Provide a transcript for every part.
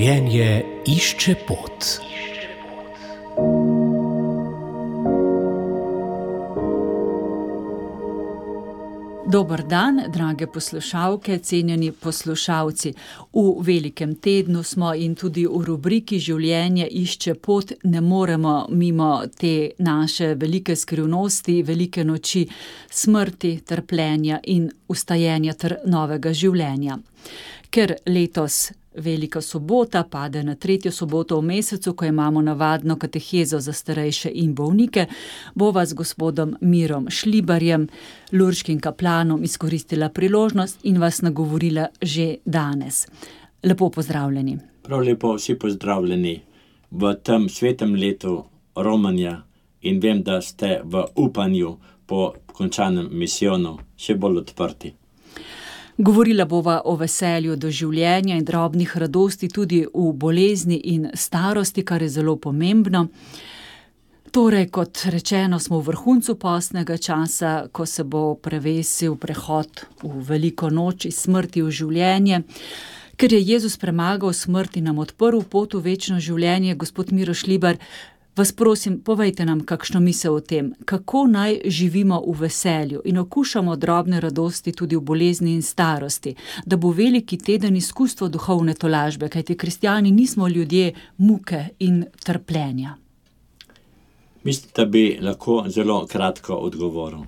Življenje išče pot. Dober dan, drage poslušalke, cenjeni poslušalci. V velikem tednu smo in tudi v rubriki Življenje išče pot ne moremo mimo te naše velike skrivnosti, velike noči smrti, trpljenja in vstajenja ter novega življenja. Ker letos Velika sobota pade na 3. soboto v mesecu, ko imamo navadno katehezo za starejše in bolnike, bova z gospodom Mirom Šlibarjem, lurškim kaplanom, izkoristila priložnost in vas nagovorila že danes. Lepo pozdravljeni. Prav lepo vsi pozdravljeni v tem svetem letu romanja in vem, da ste v upanju po končanem misijonu še bolj odprti. Govorila bova o veselju do življenja in drobnih radosti tudi v bolezni in starosti, kar je zelo pomembno. Torej, kot rečeno, smo v vrhuncu postnega časa, ko se bo prevesil prehod v veliko noč iz smrti v življenje. Ker je Jezus premagal smrt in nam odprl pot v večno življenje, gospod Miro Šlibar, vas prosim, povejte nam kakšno misel o tem, kako naj živimo v veselju in okušamo drobne radosti tudi v bolezni in starosti, da bo veliki teden izkustvo duhovne tolažbe, kajti kristjani nismo ljudje muke in trpljenja. Mislim, da bi lahko zelo kratko odgovoril.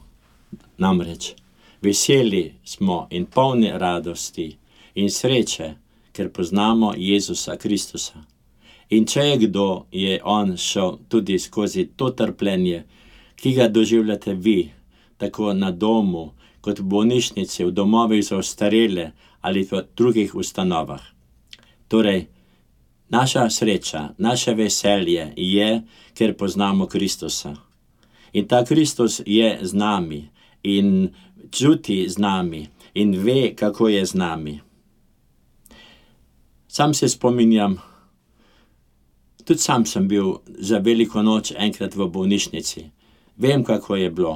Namreč, veseli smo in polni radosti in sreče, ker poznamo Jezusa Kristusa. In če je kdo, je on šel tudi skozi to trpljenje, ki ga doživljate vi, tako na domu, kot v bolnišnici, v domovih za ostarele ali v drugih ustanovah. Torej, naša sreča, naše veselje je, ker poznamo Kristusa. In ta Kristus je z nami in čuti z nami in ve, kako je z nami. Sam se spominjam, tudi sam sem bil za veliko noč enkrat v bolnišnici. Vem, kako je bilo.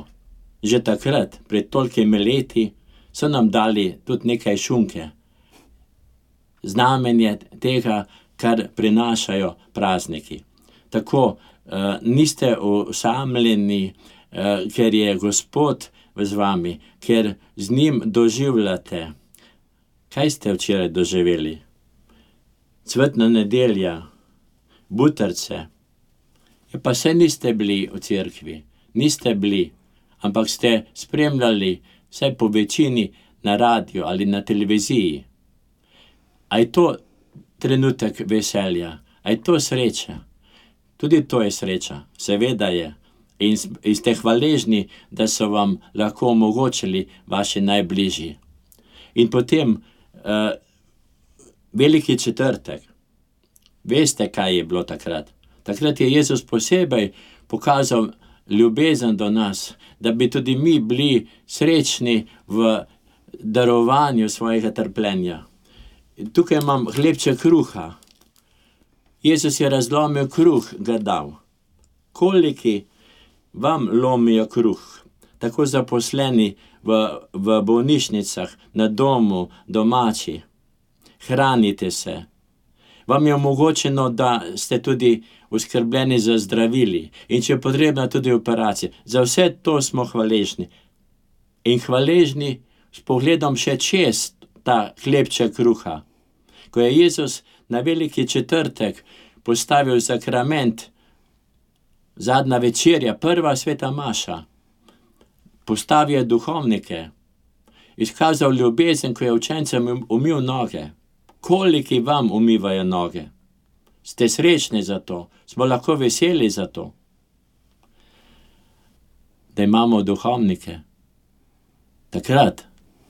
Že takrat, pred tolikimi leti, so nam dali tudi nekaj šunke. Znamenje tega, kar prinašajo prazniki. Tako, niste osamljeni, ker je Gospod z vami, ker z njim doživljate. Kaj ste včeraj doživeli? Cvetna nedelja, butarce. Pa se niste bili v cerkvi, niste bili, ampak ste spremljali vsaj po večini na radiju ali na televiziji. A je to trenutek veselja? A je to sreča? Tudi to je sreča, seveda je. In ste hvaležni, da so vam lahko omogočili vaši najbližji. In potem veliki četrtek. Veste, kaj je bilo takrat? Takrat je Jezus posebej pokazal ljubezen do nas, da bi tudi mi bili srečni v darovanju svojega trpljenja. Tukaj imam hlebček kruha. Jezus je razlomil kruh, ga dal. Koliki vam lomijo kruh? Tako zaposleni v bolnišnicah, na domu, domači. Hranite se. Vam je omogočeno, da ste tudi oskrbljeni za zdravili in če je potrebna tudi operacija. Za vse to smo hvaležni. In hvaležni s pogledom še čez ta hlebček kruha. Ko je Jezus na veliki četrtek postavil sakrament, zadnja večerja, prva sveta maša, postavil je duhovnike, izkazal ljubezen, ko je učencem umil noge. Koliki vam umivajo noge? Ste srečni za to? Smo lahko veseli za to? Da imamo duhovnike. Takrat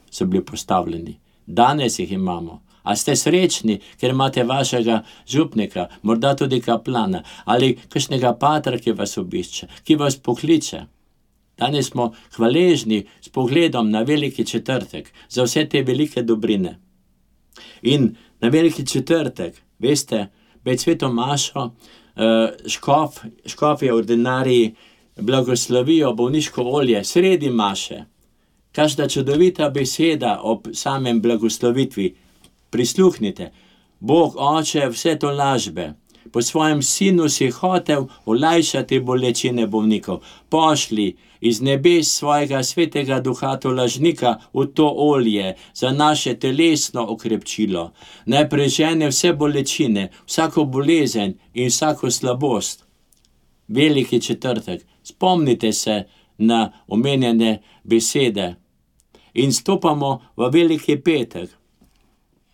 so bili postavljeni. Danes jih imamo. A ste srečni, ker imate vašega župnika, morda tudi kaplana, ali kakšnega patra, ki vas obišče, ki vas pokliče? Danes smo hvaležni s pogledom na veliki četrtek za vse te velike dobrine. In na veliki četrtek, veste, pred sveto mašo škofje ordinariji blagoslovijo bolniško olje sredi maše. Kakšna čudovita beseda ob samem blagoslovitvi. Prisluhnite. Bog Oče vse to lažbe. Po svojem sinu si hotel olajšati bolečine bolnikov. Pošli iz nebes svojega svetega duha to lažnika v to olje za naše telesno okrepčilo. Naj prežene vse bolečine, vsako bolezen in vsako slabost. Veliki četrtek. Spomnite se na omenjene besede. In stopamo v veliki petek.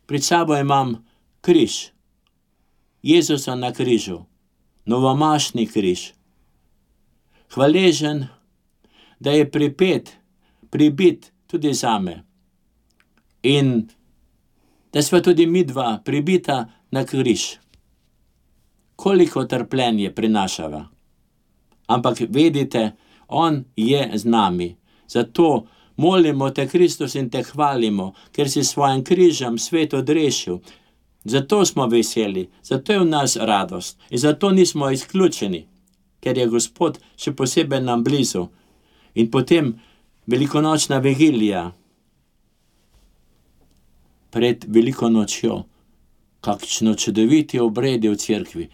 Pred sabo imam križ. Jezusa na križu. Novomašni križ. Hvaležen, da je pribit tudi zame. In da sva tudi midva pribita na križ. Koliko trpljenje prinašava. Ampak vedite, on je z nami. Zato molimo te, Kristus, in te hvalimo, ker si svojim križem svet odrešil. Zato smo veseli, zato je v nas radost in zato nismo izključeni, ker je Gospod še posebej nam blizu. In potem velikonočna vigilija. Pred veliko nočjo, kakšno čudoviti obredi v cerkvi.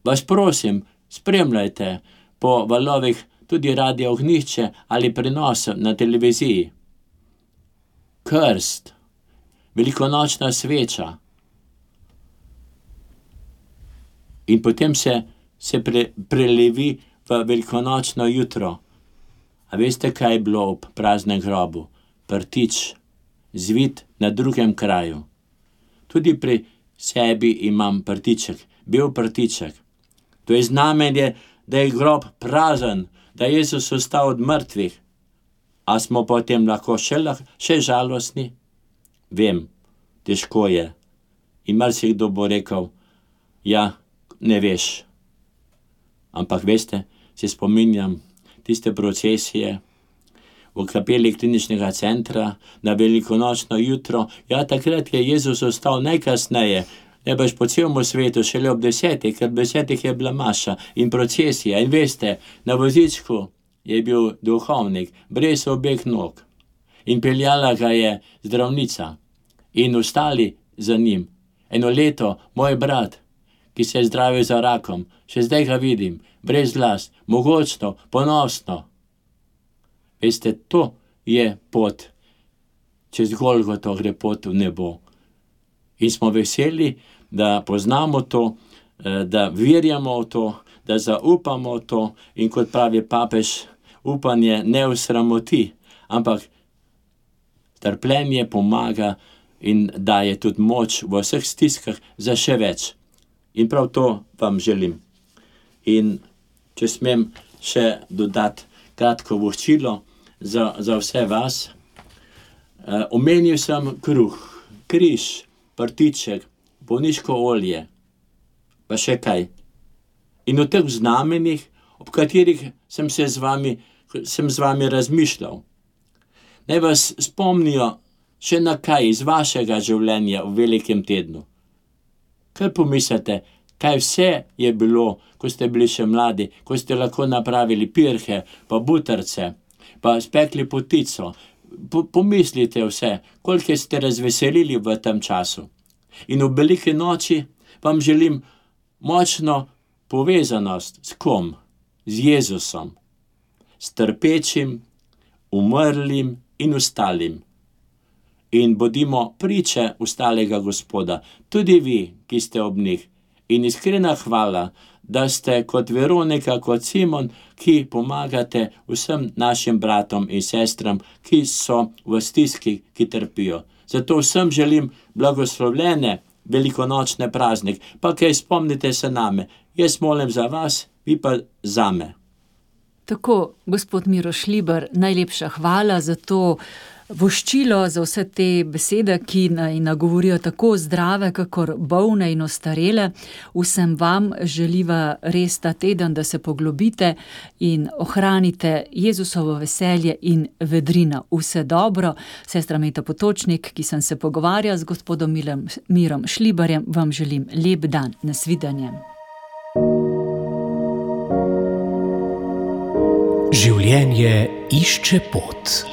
Vas prosim, spremljajte po valovih tudi Radio Ognjišče ali prenos na televiziji. Krst, velikonočna sveča. In potem se prelevi v velikonočno jutro. A veste, kaj je bilo ob praznem grobu? Prtič, zvit na drugem kraju. Tudi pri sebi imam prtiček, bel prtiček. To je znamenje, da je grob prazen, da je Jezus vstal od mrtvih. A smo potem lahko še žalostni? Vem, težko je. In marsikdo bo rekel, ja, ne veš. Ampak veste, se spominjam tiste procesije v kapeli kliničnega centra na velikonočno jutro. Ja, takrat je Jezus vstal najkasneje, najbrž po celem svetu, šele ob 10, ker ob 10 je bila maša in procesija. In veste, na vozičku je bil duhovnik, brez obeh nog. In peljala ga je zdravnica. In ostali za njim. Eno leto, moj brat, ki se je zdravil za rakom, še zdaj ga vidim, brez las, mogočno, ponosno. Veste, to je pot, čez Golgoto gre pot v nebo. In smo veseli, da poznamo to, da verjamo v to, da zaupamo v to in kot pravi papež, upanje ne osramoti, ampak trpljenje pomaga in daje tudi moč v vseh stiskah za še več. In prav to vam želim. In če smem še dodati kratko voščilo za vse vas. Omenil sem kruh, križ, prtiček, bolniško olje, pa še kaj. In o teh znamenjih, ob katerih sem z vami razmišljal. Naj vas spomnijo še na kaj iz vašega življenja v velikem tednu. Kaj pomislite, kaj vse je bilo, ko ste bili še mladi, ko ste lahko napravili pirhe, pa butarce, pa spekli potico. Pomislite vse, koliko ste razveselili v tem času. In v veliki noči vam želim močno povezanost s kom? Z Jezusom. S trpečim, umrlim in ostalim. In bodimo priče ostalega Gospoda, tudi vi, ki ste ob njih. In iskrena hvala, da ste kot Veronika, kot Simon, ki pomagate vsem našim bratom in sestram, ki so v stiski, ki trpijo. Zato vsem želim blagoslovljene velikonočne praznik, pa kaj spomnite se name. Jaz molim za vas, vi pa zame. Tako, gospod Miro Šlibar, najlepša hvala za to voščilo, za vse te besede, ki nagovorijo tako zdrave, kakor bolne in ostarele. Vsem vam želiva res ta teden, da se poglobite in ohranite Jezusovo veselje in vedrino. Vse dobro. Sestra Meta Potočnik, ki sem se pogovarjala z gospodom Mirom Šlibarjem, vam želim lep dan. Nasvidenje. Življenje išče pot.